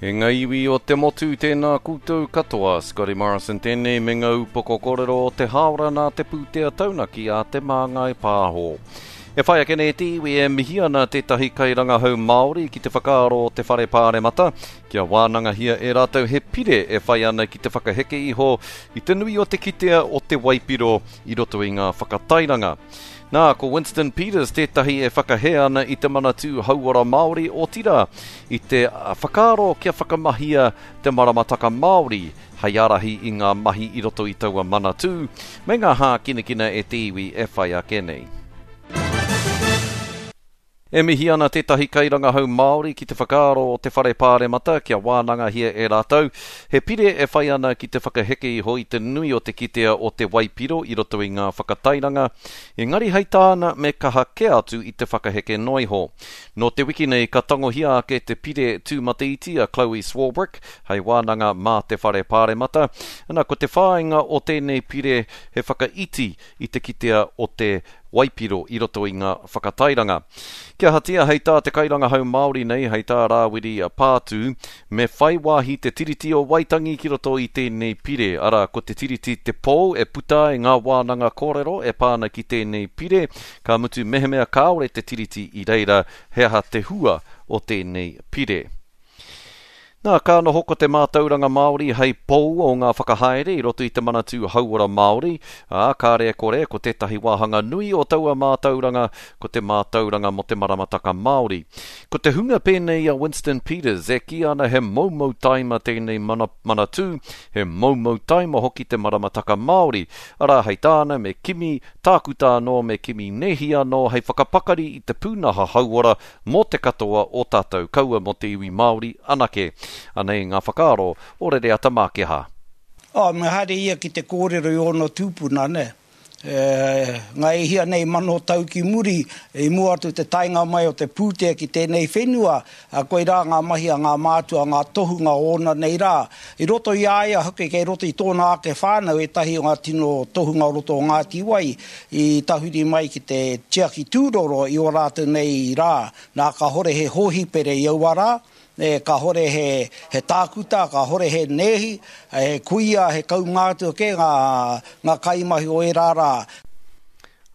E nga iwi o te motu, tēnā koutou katoa. Scotty Morrison tēnei me nga upoko kōrero o te hāora nā te pūtea taunaki a Te Māngai Pāho. E whai ake nei te iwi e mihi ana tētahi kairangahau Māori ki te whakaaro o te Whare Pāremata kia wānangahia e rātou he pire e whai ana ki te whakaheke iho i te nui o te kitea o te waipiro i roto i ngā whakatairanga. Nā, ko Winston Peters tētahi e whakahē ana i te Manatū Hauora Māori, otirā, i te whakaaro kia whakamahia te maramataka Māori hei ārahi i ngā mahi i roto i taua manatū, me ngā hākinakina e te iwi e whai ake nei. E mihi ana tētahi kairangahau Māori ki te whakaaro o te Whare Pāremata kia wānangahia e rātou he pire e whai ana ki te whakaheke iho i te nui o te kitea o te waipiro i roto i ngā whakatairanga, engari hei tāna me kaha kē atu i te whakaheke noa iho. Nō te wiki nei ka tangohia ake te pire tūmataiti a Chloe Swarbrick hei wānanga mā te Whare Pāremata. Ana, ko te whāinga o tēnei pire he whakaiti i te kitea o te waipiro i roto i ngā whakatairanga. Kia ahatia, hei tā te kairangahau Māori nei, hei tā Rāwiri Pātū, me whai wāhi te Tiriti o Waitangi ki roto i tēnei pire, arā, ko te Tiriti te pou e puta ai ngā wānanga kōrero e pā ana ki tēnei pire, ka mutu mehemea kāore te Tiriti i reira, he aha te hua o tēnei pire? Nā, ka noho ko te mātauranga Māori hei pou o ngā whakahaere i roto i te Manatū Hauora Māori, ā, kāre e kore, ko tētahi wāhanga nui o taua mātauranga ko te mātauranga mō te maramataka Māori. Ko te hunga pēnei i a Winston Peters e kī ana he moumou taima tēnei mana, manatū, he moumou taima hoki te maramataka Māori, arā, hei tāna me kimi tākuta anō, me kimi nēhi anō hei whakapakari i te pūnaha hauora Mō te katoa o tātou, kaua mō te iwi Māori anake. Anei ngā whakaaro o Rereata Mākeha. Oh, me haere ia ki te kōrero i ōna tūpuna, nē. E, ngā e hia nei mano tau ki muri, i mua atu te taenga mai o te pūtea ki tēnei whenua, a, koirā ngā mahi a ngā mātua, ngā tohunga o ōna nei rā. I roto i a ia hoki, kei roto i tōna ake whānau ētahi o ngā tino tohunga o roto o Ngāti Wai, I tahuri mai ki te tiaki tūroro i ō rātou nei rā, nā kāhore he hōhipere i aua rā, e, kāhore he, he tākuta, kāhore he nēhi, he kuia, he kaumātua kē ngā, ngā kaimahi o ērā rā.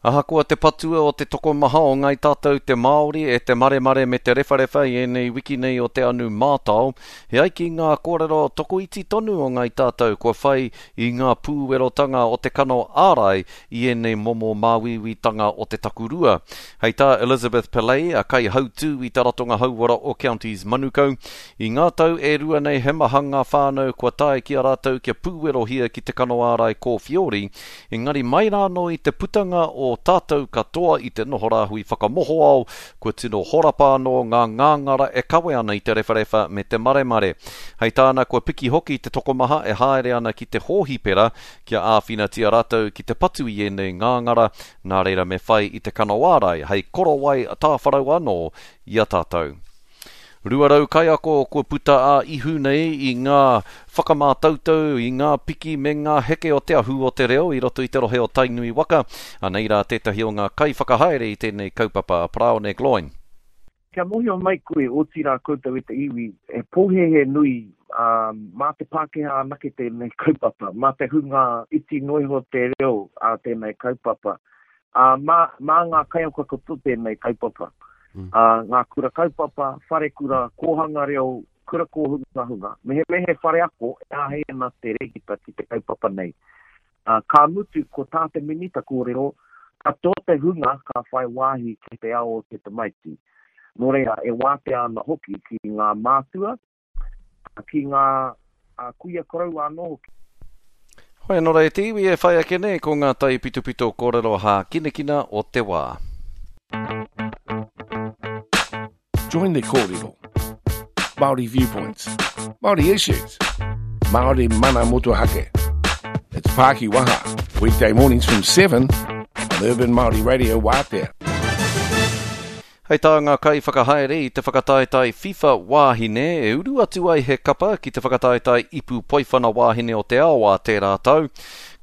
Ahakoa te patua o te tokomaha o Ngai Tātou te Māori e te maremare me te rewharewha i ēnei wiki nei o te anu mātao, he ai ki ngā kōrero tokoiti tonu o Ngai Tātou kua whai i ngā pūwerotanga o te kano ārai i ēnei momo māuiuitanga o te takurua. Hei tā Elizabeth Pillay, a kaihautū i te Ratonga Hauora o Counties Manukau, i ngā tau e rua nei he maha ngā whānau kua tae ki a rātou kia pūwerohia ki te kano ārai kōwhiori, engari mai rānō i te putanga o tātou katoa i te noho rāhui whakamohoao, kua tino horapa anō ngā ngāngara e kawe ana i te rewharewha me te maremare. Hei tāna kua piki hoki te tokomaha e haere ana ki te hōhipera Kia āwhinatia rātou ki te patu i ēnei ngāngara, nā reira me whai i te kano ārai hei korowai tāwharau anō i a tātou. 200 kaiako kua puta ā-ihu nei i ngā whakamātautau, i ngā piki me ngā heke o te ahu o te reo i roto i te rohe o Tainui waka. Anei rā tētahi o ngā kaiwhakahaere i tēnei kaupapa, a Paraone Gloyne. Kia mōhio mai koe, otirā koutou e te iwi, he pōhēhē nui, ā, mā te Pākehā anake tēnei kaupapa, mā te hunga iti noa iho te reo ā tēnei kaupapa, ā, mā, mā ngā kaiako katoa tēnei kaupapa, ā, ngā kura kaupapa, wharekura, kōhanga reo, kura kōhungahunga, mehemea he whare ako e āhei ana te rēhita ki te kaupapa nei. Ā, ka mutu ko tā te Minita kōrero, katoa te hunga ka whai wāhi ki te ao o te tamaiti. Nō reira, e wātea ana hoki ki ngā mātua, ki ngā kuia koroua anō hoki. Hoi anō rā e te iwi e whai ake nei ko ngā taipitopito kōrero hākinakina o te wā. Join the kōrero. Māori viewpoints. Māori issues. Māori mana motuhake. It's Pāki Waha, weekday mornings from 7 on Urban Māori Radio Wātea. Hei tā ngā kaiwhakahaere i te whakataetae FIFA wāhine e uru atu ai he kapa ki te whakataetae ipu poiwhana wāhine o te ao ā tērā tau.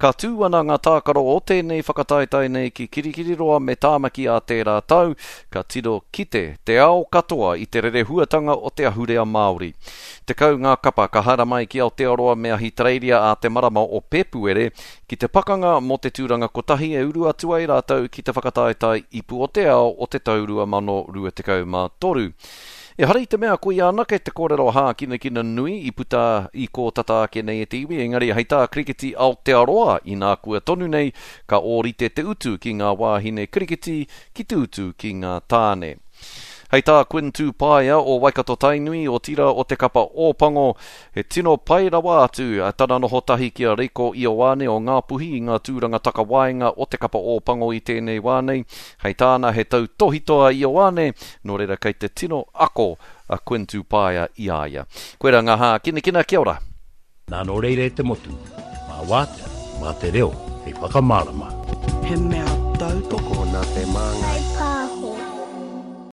Ka tū ana ngā tākaro o tēnei whakataetae nei ki Kirikiriroa me Tāmaki ā tērā tau, ka tiro kite te ao katoa i te rerehuatanga o te ahurea Māori. 10 ngā kapa ka haramai ki Aotearoa me Ahitereiria ā te marama o Pēpuere ki te pakanga mō te tūranga kotahi e uru atu ai rātou ki te whakataetae Ipu o te Ao o te tau 2023. Ehara i te mea koia anake te kōrero hākinakina nui i puta i kō tata ake nei e te iwi, engari hei tā Kirikiti Aotearoa inākua tonu nei, ka ōrite te utu ki ngā wāhine kirikiti ki te utu ki ngā tāne. Hei tā Quinn Tūpaea o Waikato Tainui, otirā o te kapa Ōpango, he tino pai rawa atu tana noho tahi ki a Reiko Ioane o Ngāpuhi i ngā tūranga takawaenga o te kapa Ōpango i tēnei wā nei. Hei tāna he tautōhito a Ioane, nō reira kei te tino ako a Quinn Tūpaea i a ia. Koirā ngā hākinakina, kia ora! Nā nō reira e te motu, mā wātea, mā te reo hei whakamārama. He mea tautoko. Tokona te māngai.